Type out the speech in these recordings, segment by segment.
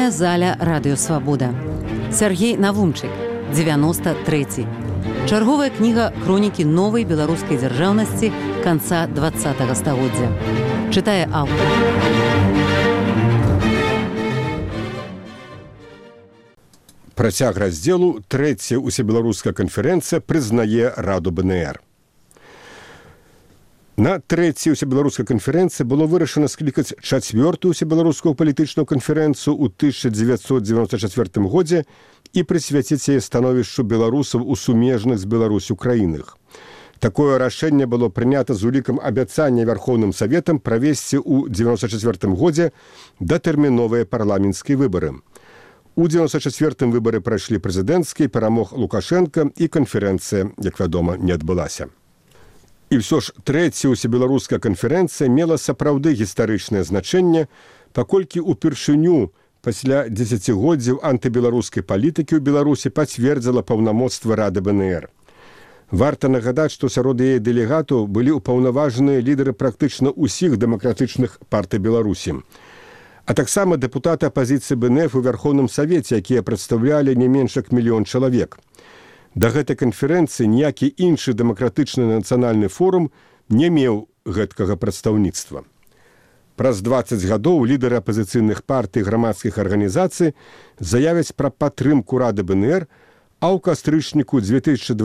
Чытальная заля радыёвабода. Сяргей Навумчык, 93. Чарговая кніга хронікі новай беларускай дзяржаўнасці канца 20-го стагоддзя. Чытае аўтар. Працяг раздзелу трэцяя ўсебеларуская канферэнцыя прызнае Раду БНР. На трэцяй усебеларускай канферэнцыі было вырашана склікаць чацвёртую усебеларускую палітычную канферэнцыю ў 1994 годзе і прысвяціць яе становішчу беларусаў у сумежных з Беларусю краінах. Такое рашэнне было прынята з улікам абяцання Вярхоўным Саветам правесці ў 1994 годзе датэрміновыя парламенцкія выбары. У 1994 выбары прайшлі прэзідэнцкія, перамог Лукашенка і канферэнцыя, як вядома, не адбылася. І ўсё ж трэцяя ўсебеларуская канферэнцыя мела сапраўды гістарычнае значэнне, паколькі ўпершыню пасля дзесяцігоддзяў антыбеларускай палітыкі ў Беларусі пацвердзіла паўнамоцтва Рады БНР. Варта нагадаць, што сярод яе дэлегатаў былі ўпаўнаважаныя лідары практычна ўсіх дэмакратычных партый Беларусі. А таксама дэпутаты апазіцыі БНФ у Вярхоўным Савеце, якія прадстаўлялі не менш як 1 мільён чалавек. Да гэтай канферэнцыі ніякі іншы дэмакратычны нацыянальны форум не меў гэткага прадстаўніцтва. Праз 20 гадоў лідары апазіцыйных партый і грамадскіх арганізацый заявяць пра падтрымку Рады БНР, а ў кастрычніку 2012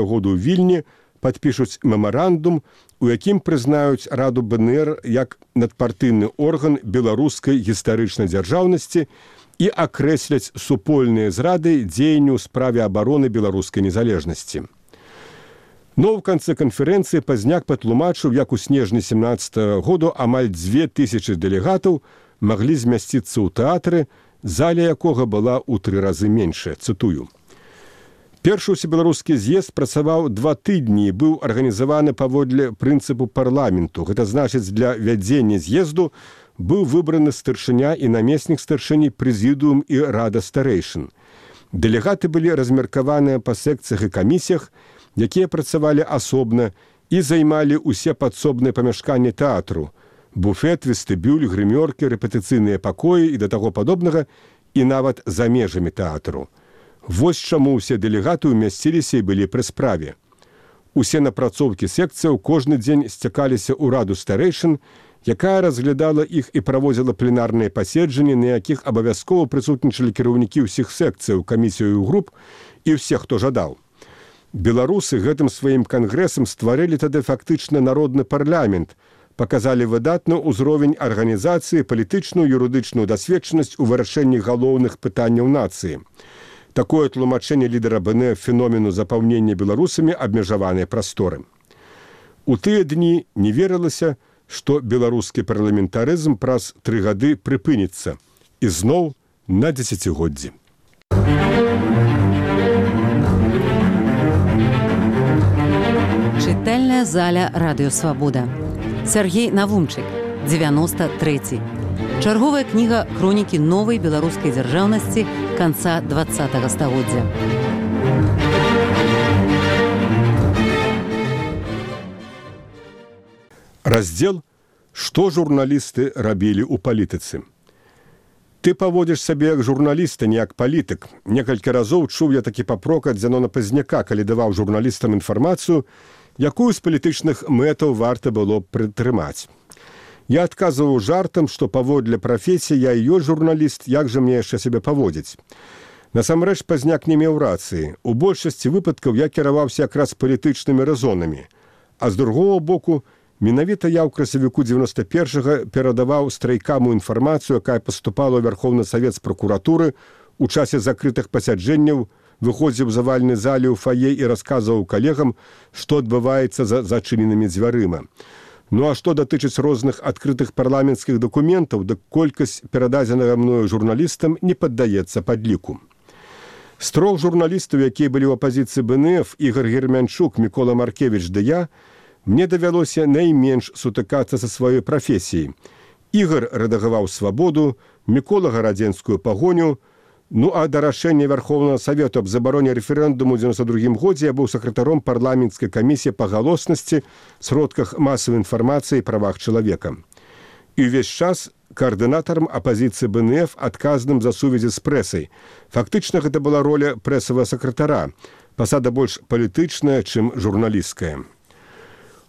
году ў Вільні падпішуць мемарандум, у якім прызнаюць Раду БНР як надпартыйны орган беларускай гістарычнай дзяржаўнасці і акрэсляць супольныя з Радай дзеянню ў справе абароны беларускай незалежнасці. Но ў канцы канферэнцыі Пазняк патлумачыў, як у снежні 17 году амаль 2000 дэлегатаў маглі змясціцца ў тэатры, заля якога была ў 3 разы меншая, цытую. Першы ўсебеларускі з'езд працаваў 2 тыдні і быў арганізаваны паводле прынцыпу парламенту. Гэта значыць, для вядзення з'езду быў выбраны старшыня і намеснік старшыні, прэзідыум і рада старэйшын. Дэлегаты былі размеркаваныя па секцыях і камісіях, якія працавалі асобна і займалі ўсе падсобныя памяшканні тэатру: буфет, вестыбюль, грымёркі, рэпетыцыйныя пакоі і да таго падобнага, і нават за межамі тэатру. Вось чаму ўсе дэлегаты ўмясціліся і былі пры справе. Усе напрацоўкі секцыяў кожны дзень сцякаліся ў раду старэйшын, якая разглядала іх і праводзіла пленарныя паседжанні, на якіх абавязкова прысутнічалі кіраўнікі ўсіх секцыяў, камісіяў і груп і ўсе, хто жадаў. Беларусы гэтым сваім кангрэсам стварылі тады фактычна народны парламент, паказалі выдатны ўзровень арганізацыі, палітычную, юрыдычную дасведчанасць у вырашэнні галоўных пытанняў нацыі. Такое тлумачэнне лідара БНФ феномену запаўнення беларусамі абмежаванай прасторы. У тыя дні не верылася, што беларускі парламентарызм праз 3 гады прыпыніцца і зноў на дзесяцігоддзі. Чытальная заля радыёвабода. Сяргей Навумчык, 93. Чарговая кніга хронікі новай беларускай дзяржаўнасці канца 20-го стагоддзя. Раздзел «Што журналісты рабілі ў палітыцы». Ты паводзіш сабе як журналіст, а не як палітык. Некалькі разоў чуў я такі папрок ад Зянона Пазняка, калі даваў журналістам інфармацыю, якую з палітычных мэтаў варта было прытрымаць. Я адказваў жартам, што паводле прафесіі я і ёсць журналіст, як жа мне яшчэ сябе паводзіць. Насамрэч Пазняк не меў рацыі. У большасці выпадкаў я кіраваўся якраз палітычнымі рэзонамі. А з другого боку, менавіта я ў красавіку 91-го перадаваў страйкаму інфармацыю, якая паступала ў Вярхоўны Савет з пракуратуры у часе закрытых пасяджэнняў, выходзіў з авальнай залі ў фае і расказваў калегам, што адбываецца за зачыненымі дзвярыма. Ну а што датычыць розных адкрытых парламенцкіх дакументаў, дык колькасць перададзенага мною журналістам не паддаецца падліку. З 3 журналістаў, якія былі ў апазіцыі БНФ, Ігор Гермянчук, Мікола Маркевіч ды я, мне давялося найменш сутыкацца са сваёй прафесіяй. Ігор рэдагаваў «Свабоду», Мікола гарадзенскую пагоню, ну а да рашэння Вярхоўнага Савету аб забароне рэферэндуму ў 92 годзе я быў сакратаром парламенцкай камісіі па галоснасці, сродках масавай інфармацыі і правах чалавека. І ўвесь час каардынатарам апазіцыі БНФ, адказным за сувязі з прэсай. Фактычна гэта была роля прэсавага сакратара, пасада больш палітычная, чым журналісцкая.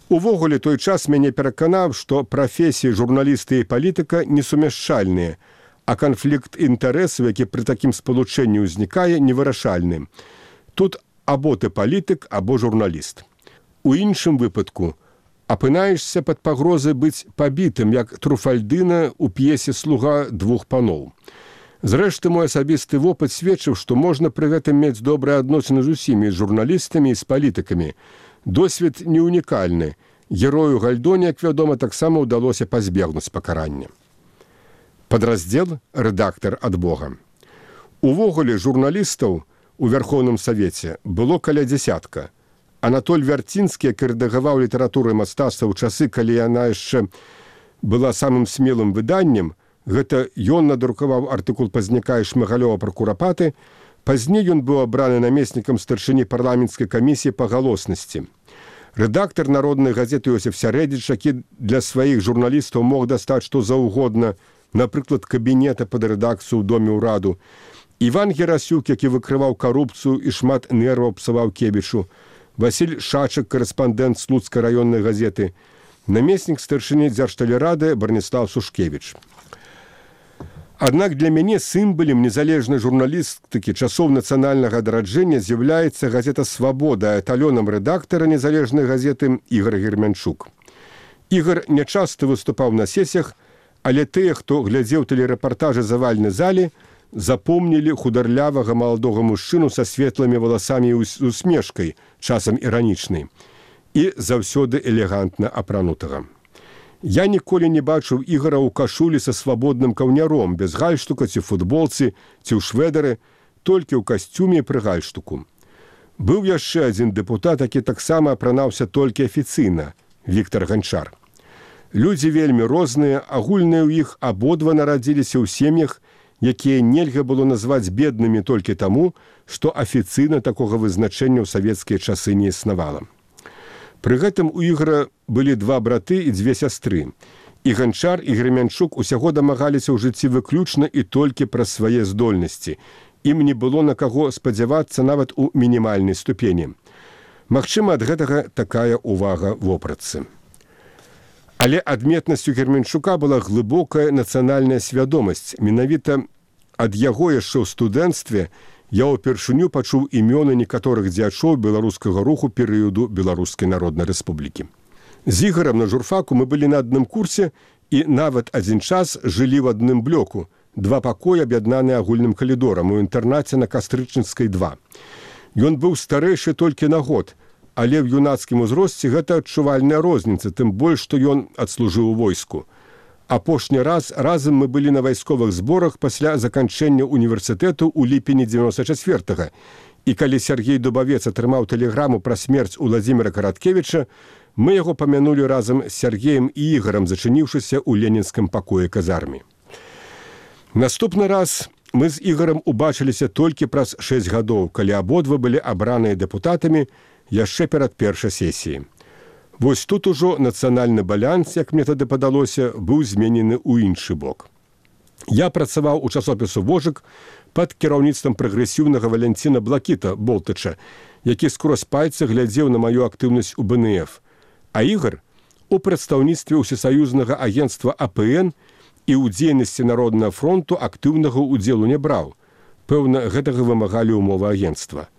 Увогуле, той час мяне пераканаў, што прафесіі журналісты і палітыка несумяшчальныя, а канфлікт інтарэсаў, які пры такім спалучэнні ўзнікае, невырашальны. Тут або ты палітык, або журналіст. У іншым выпадку апынаешся пад пагрозай быць пабітым, як Труфальдына ў п'есе «Слуга двух паноў». Зрэшты, мой асабісты вопыт сведчыў, што можна пры гэтым мець добрыя адносіны з усімі, з журналістамі і з палітыкамі. Досвед не унікальны. Герою Гальдоне, як вядома, таксама ўдалося пазбегнуць пакарання. Падраздзел «Рэдактар ад Бога». Увогуле журналістаў у Верхоўным Савеце было каля дзясятка. Анатоль Вярцінскі, які рэдагаваў літаратуру і мастацтва ў часы, калі яна яшчэ была самым смелым выданнем, гэта ён надрукаваў артыкул Пазняка і Шмыгалёва пра курапаты, пазней ён быў абраны намеснікам старшыні парламенцкай камісіі па галоснасці. Рэдактар народнай газеты Йосіф Сярэдзіч, які для сваіх журналістаў мог дастаць што заўгодна, напрыклад, кабінета пад рэдакцыю ў доме ўраду, Іван Герасюк, які выкрываў карупцыю і шмат нерваў псаваў Кебічу, Васіль Шачык, карэспандэнт Слуцкай раённай газеты, намеснік старшыні Дзяржтэлерады Барніслаў Сушкевіч. Аднак для мяне сімвалам незалежнай журналістыкі часоў нацыянальнага адраджэння з'яўляецца газета «Свабода», а эталёнам рэдактара незалежнай газеты Ігар Гермянчук. Ігар нячаста выступаў на сесіях, але тыя, хто глядзеў тэлерэпартажы завальнай залі, запомнілі хударлявага маладога мужчыну са светлымі валасамі і усмешкай, часам іранічнай, і заўсёды элегантна апранутага. Я ніколі не бачыў Ігара ў кашулі са свабодным каўняром, без гальштука ці футболцы, ці ў шведары, толькі ў касцюме і пры гальштуку. Быў яшчэ адзін дэпутат, які таксама апранаўся толькі афіцыйна, Віктар Ганчар. Людзі вельмі розныя, агульныя ў іх абодва нарадзіліся ў сем'ях, якія нельга было назваць беднымі толькі таму, што афіцыйна такога вызначэння ў савецкія часы не існавала. Пры гэтым у Ігара былі два браты і дзве сястры. І Ганчар, і Гермянчук усяго дамагаліся ў жыцці выключна і толькі праз свае здольнасці. Ім не было на каго спадзявацца нават у мінімальнай ступені. Магчыма, ад гэтага такая ўвага вопратцы. Але адметнасцю Гермянчука была глыбокая нацыянальная свядомасць. Менавіта ад яго яшчэ ў студэнцтве я ўпершыню пачуў імёны некаторых дзячоў беларускага руху перыяду Беларускай Народнай Рэспублікі. З Ігарам на журфаку мы былі на адным курсе і нават адзін час жылі ў адным блоку, два пакоі аб'яднаныя агульным калідорам у інтэрнаце на Кастрычніцкай 2. Ён быў старэйшы толькі на год, але ў юнацкім узросце гэта адчувальная розніца, тым больш, што ён адслужыў у войску. Апошні раз разам мы былі на вайсковых зборах пасля заканчэння універсітэту ў ліпені 94-го. І калі Сергей Дубавец атрымаў тэлеграму пра смерць Уладзіміра Караткевіча, мы яго памянулі разам з Сергеем і Ігарам, зачыніўшыся ў ленінскім пакоі казармы. Наступны раз мы з Ігарам убачыліся толькі праз 6 гадоў, калі абодва былі абраныя дэпутатамі яшчэ перад першай сесіяй. Вось тут ужо нацыянальны баланс, як мне тады падалося, быў зменены ў іншы бок. Я працаваў у часопісу «Вожык» пад кіраўніцтвам прагрэсіўнага Валянціна Блакіта Болтыча, які скрозь пальцы глядзеў на маю актыўнасць у БНФ. А Ігар у прадстаўніцтве ўсесаюзнага агенцтва АПН і ў дзейнасці Народнага фронту актыўнага ўдзелу не браў. Пэўна, гэтага вымагалі ўмовы агенцтва.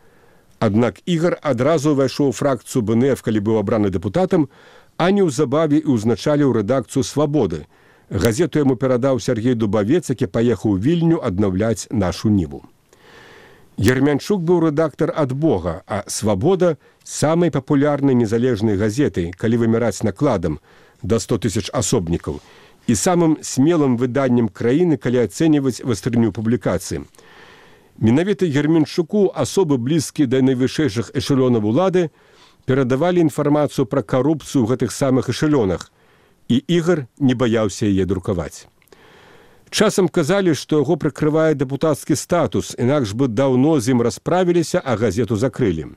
Аднак Ігар адразу ўвайшоў у фракцыю БНФ, калі быў абраны дэпутатам, а неўзабаве і ўзначаліў рэдакцыю «Свабоды». Газету яму перадаў Сергей Дубавец, які паехаў у Вільню аднаўляць нашу ніву. Гермянчук быў рэдактар ад Бога, а «Свабода» самай папулярнай незалежнай газетай, калі вымяраць накладам, да 100 000 асобнікаў, і самым смелым выданнем краіны, калі ацэньваць вастрыню публікацыі. Менавіта Гермянчуку асобы блізкія да найвышэйшых эшелёнаў улады перадавалі інфармацыю пра карупцыю ў гэтых самых эшелёнах, і Ігар не баяўся яе друкаваць. Часам казалі, што яго прыкрывае дэпутацкі статус, інакш бы даўно з ім расправіліся, а газету закрылі.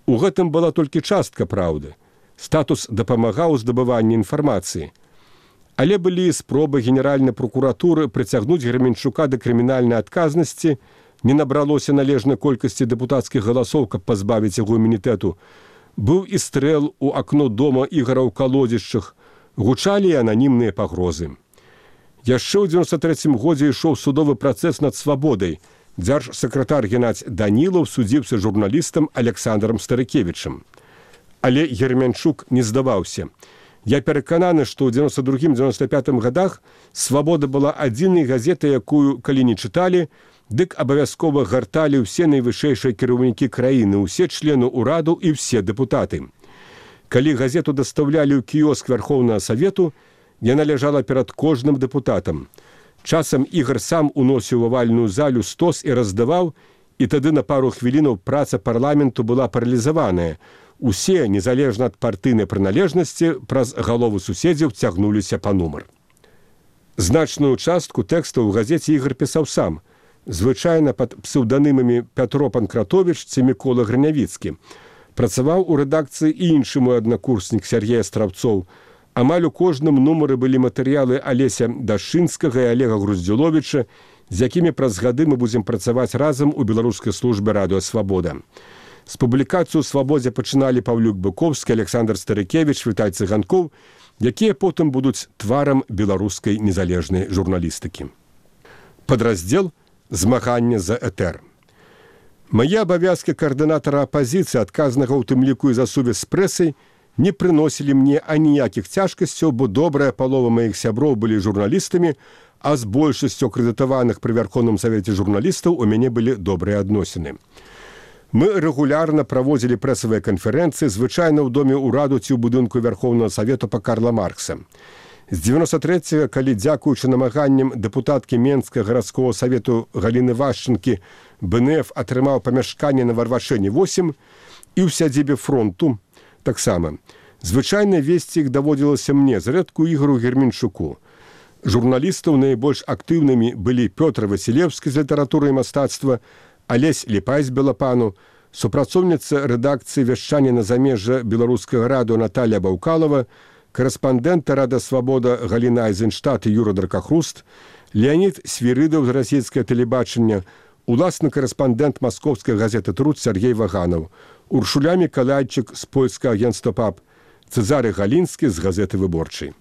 У гэтым была толькі частка праўды. Статус дапамагаў у здабыванні інфармацыі. Але былі спробы генеральнай прокуратуры прыцягнуць Герменчука да крымінальнай адказнасці, не набралося належнай колькасці дэпутацкіх галасоў, каб пазбавіць яго імунітэту. Быў і стрэл у акно дома Ігара ў калодзішчах, гучалі і ананімныя пагрозы. Яшчэ ў 93 годзе ішоў судовы працэс над Свабодай. Дзяржсакратар Геннадзь Данілаў судзіўся журналістам Александрам Старыкевічам. Але Герменчук не здаваўся. Я перакананы, што ў 92-95 годах «Свабода» была адзінай газетай, якую, калі не чыталі, дык абавязкова гарталі ўсе найвышэйшыя кіраўнікі краіны, усе члены ўраду і ўсе дэпутаты. Калі газету дастаўлялі ў кіёск Вярхоўнага Савету, яна ляжала перад кожным дэпутатам. Часам Ігар сам уносіў у авальную залю стос і раздаваў, і тады на пару хвілінаў праца парламенту была паралізаваная. Усе, незалежна ад партыйнай прыналежнасці, праз галовы суседзяў цягнуліся па нумар. Значную частку тэкстаў у газеце Ігар пісаў сам, звычайна пад псеўданымамі Пятро Панкратовіч ці Мікола Грынявіцкі. Працаваў у рэдакцыі і іншы мой аднакурснік Сергей Астравцоў. Амаль у кожным нумары былі матэрыялы Алеся Дашынскага і Олега Груздзіловіча, з якімі праз гады мы будзем працаваць разам у беларускай службе радыё «Свабода». З публікацыю ў «Свабодзе» пачыналі Паўлюк Быковскі, Александр Старыкевіч, Вітай Цыганкоў, якія потым будуць тварам беларускай незалежнай журналістыкі. Падраздзел «Змаганне за этэр». Мае абавязкі каардынатара апазіцыі, адказнага ў тым ліку і за сувязь з прэсай, не прыносілі мне аніякіх цяжкасцяў, бо добрая палова маіх сяброў былі журналістамі, а з большасцю акрэдытаваных пры Вярхоўным Савеце журналістаў у мяне былі добрыя адносіны. Мы рэгулярна праводзілі прэсавыя канферэнцыі, звычайна ў доме ўраду ці ў будынку Вярхоўнага Савету па Карла Маркса. З 93-го, калі, дзякуючы намаганням дэпутаткі Менскага гарадскога савету Галіны Вашчынкі, БНФ атрымаў памяшканне на Варвашэне 8 і ў сядзібе фронту таксама. Звычайна весці іх даводзілася мне, зрэдку Ігору Герменчуку. Журналістаў найбольш актыўнымі былі Пётр Васілеўскі з літаратуры і мастацтва, Алесь Ліпай з Белапану, супрацоўніца рэдакцыі вяшчання на замежжа беларускага радыё Наталія Баўкалава, карэспандэнта «Рада Свабода» Галіна Айзенштадт і Юра Дракахруст, Леонід Свірыдаў з расійскага тэлебачання, уласны карэспандэнт маскоўскай газеты «Труд» Сергей Ваганаў, Уршуля Мікалайчык з польскага агенцтва ПАП, Цэзары Галінскі з газеты «Выборчай».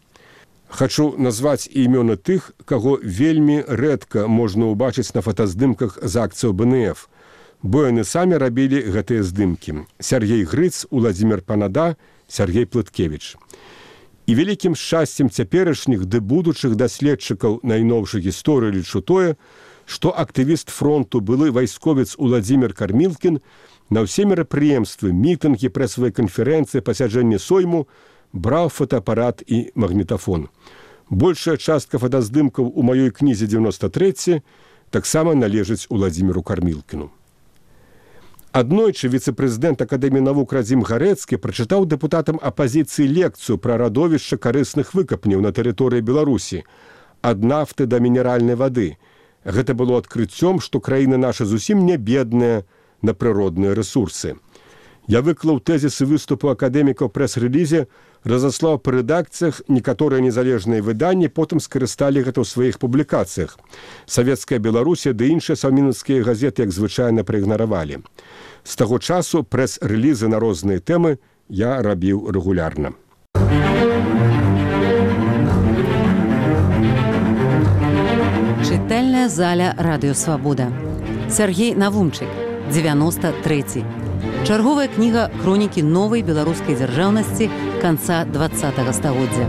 Хачу назваць імёны тых, каго вельмі рэдка можна ўбачыць на фотаздымках з акцыяў БНФ, бо яны самі рабілі гэтыя здымкі. Сергей Грыц, Уладзімір Панада, Сергей Плыткевіч. І вялікім шчасцем цяперашніх ды будучых даследчыкаў найноўшай гісторыі лічу тое, што актывіст фронту, былы вайсковец Уладзімір Кармілкін на ўсе мерапрыемствы, мітынгі, прэсавыя канферэнцыі, пасяджэнні сойму браў фотоапарат і магнітафон. Большая частка фотаздымкаў у маёй кнізе 93 таксама належыць Уладзіміру Кармілкіну. Аднойчы віцэ-прэзідэнт Акадэміі навук Радзім Гарэцкі прачытаў дэпутатам апазіцыі лекцыю пра радовішча карысных выкапняў на тэрыторыі Беларусі ад нафты да мінеральнай вады. Гэта было адкрыццём, што краіна наша зусім не бедная на прыродныя рэсурсы. Я выклаў тэзісы выступу акадэмікаў прэс-рэлізе, разаслаў па рэдакцыях, некаторыя незалежныя выданні потым скарысталі гэта ў сваіх публікацыях. Савецкая Беларусія ды іншыя саўмінаўскія газеты, як звычайна, праігнаравалі. З таго часу прэс-рэлізы на розныя тэмы я рабіў рэгулярна. Чытальная заля радыё «Свабода». Сергей Навумчык, 93. Чарговая кніга хронікі новай беларускай дзяржаўнасці канца 20-го стагоддзя.